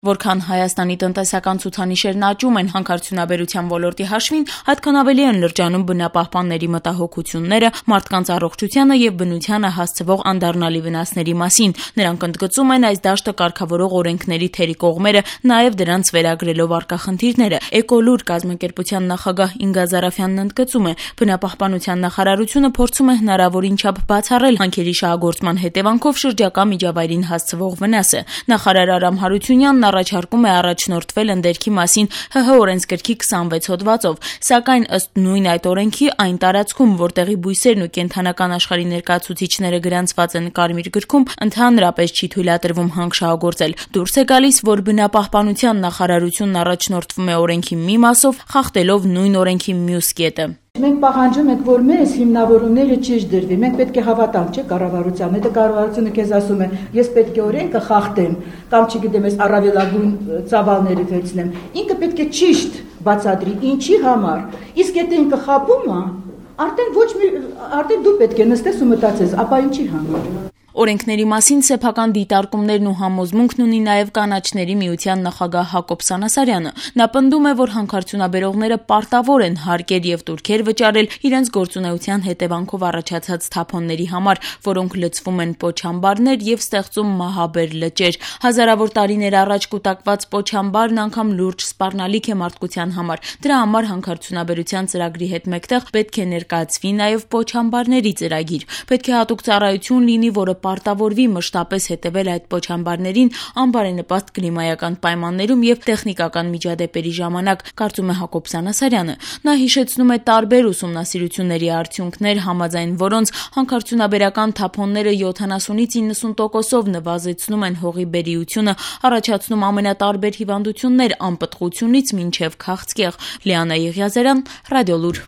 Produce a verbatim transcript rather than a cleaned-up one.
Որքան Հայաստանի տնտեսական ցուցանիշերն աճում են հանքարդյունաբերության ոլորտի հաշվին, այդքան ավելի են լրջանում բնապահպանների մտահոգությունները մարդկանց առողջությանը եւ բնությանը հասցվող անդառնալի վնասների մասին։ Նրանք ընդգծում են այս դաշտը կարգավորող օրենքների թերի կողմերը, նաեւ դրանց վերագրելով առկա խնդիրները։ Էկոլուր կազմակերպության նախագահ Ինգա Զարաֆյանն ընդգծում է, բնապահպանության նախարարությունը փորձում է հնարավորին չափ բացառել հանքերի շահագործման հետևանքով շրջակա միջավայրին հասցվող վնասը։ Նախարար Արամ Հարությունյանն առաջարկում է առաջնորդվել ընդերքի մասին ՀՀ օրենսգրքի քսանվեց հոդվածով, սակայն ըստ նույն այդ օրենքի այն տարածքում, որտեղի բույսերն ու կենդանական աշխարհի ներկայացուցիչները գրանցված են Կարմիր գրքում, ընդհանրապես չի թույլատրվում հանք շահագործել։ Դուրս է գալիս, որ բնապահպանության նախարարությունն առաջնորդվում է օրենքի մի մասով, խախտելով նույն օրենքի մյուս կետը։ Մենք պահանջում ենք, որ մեզ հիմնավորումները ճիշտ դրվի։ Մենք պետք է հավատանք, չէ՞, կառավարության։ Հետո կառավարությունը քեզ ասում է, ես պետք է օրենքը խախտեմ, կամ չգիտեմ, ես առավելագույն ծավալները վերցնեմ։ Ինքը պետք է ճիշտ բացատրի, ինչի համար։ Իսկ եթե ինքը խաբում է, արդեն ոչ մի արդեն դու պետք է նստես ու մտածես, ապա ինչի համար։ Օրենքների մասին սեփական դիտարկումներն ու համոզմունքն ունի նաև կանաչների միության նախագահ Հակոբ Սանասարյանը։ Նա պնդում է, որ հանքարդյունաբերողները պարտավոր են հարկեր եւ տուրքեր վճարել իրենց գործունեության հետևանքով առաջացած թափոնների համար, որոնք լցվում են պոչամբարներ եւ ստեղծում մահաբեր լճեր։ Հազարավոր տարիներ առաջ կուտակված պոչամբարն անգամ լուրջ սպառնալիք է մարդկության համար։ Դրա համար հանքարդյունաբերության ծրագրի հետ մեկտեղ պետք է ներկայացվի նաև պոչամբարների ծրագիր։ Պետք է հատուկ ծառայություն լինի, որը պարտավորվի մշտապես հետևել այդ պոչամբարներին անբարենպաստ կլիմայական պայմաններում եւ տեխնիկական միջադեպերի ժամանակ, կարծում է Հակոբ Սանասարյանը։ Նա հիշեցնում է տարբեր ուսումնասիրությունների արդյունքներ, համաձայն որոնց հանքարդյունաբերական թափոնները յոթանասունից իննսուն տոկոսով նվազեցնում են հողի բերիությունը, առաջացնում ամենատարբեր հիվանդություններ անպտղությունից մինչև քաղցկեղ։ Լիանա Եղիազարյան, Ռադիոլուր։